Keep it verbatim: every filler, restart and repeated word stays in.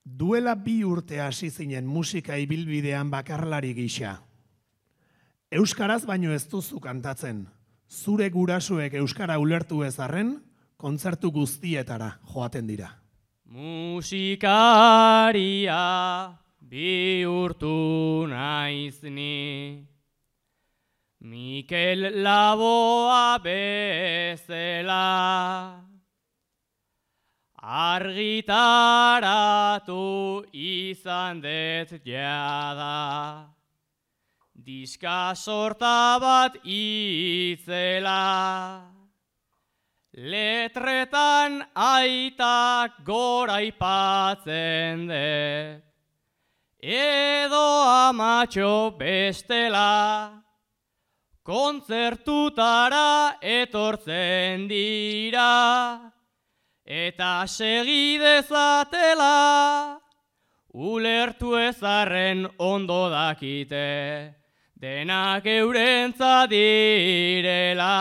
Duela bi urte hasi zinen musika ibilbidean bakarlari gisa. Euskaraz baino ez duzu kantatzen. Zure gurasoek euskara ulertu ez arren, kontzertu guztietara joaten dira. Musikaria bihurtu naiz ni, Mikel Laboa bezala. Argitaratu izan dut jada, diska sorta bat itzela. Letretan aitak gora ipatzen dut, edo amatxo bestela. Kontzertutara etortzen dira, eta segidezatela, ulertu ezarren ondo dakite, denak eurentzat direla.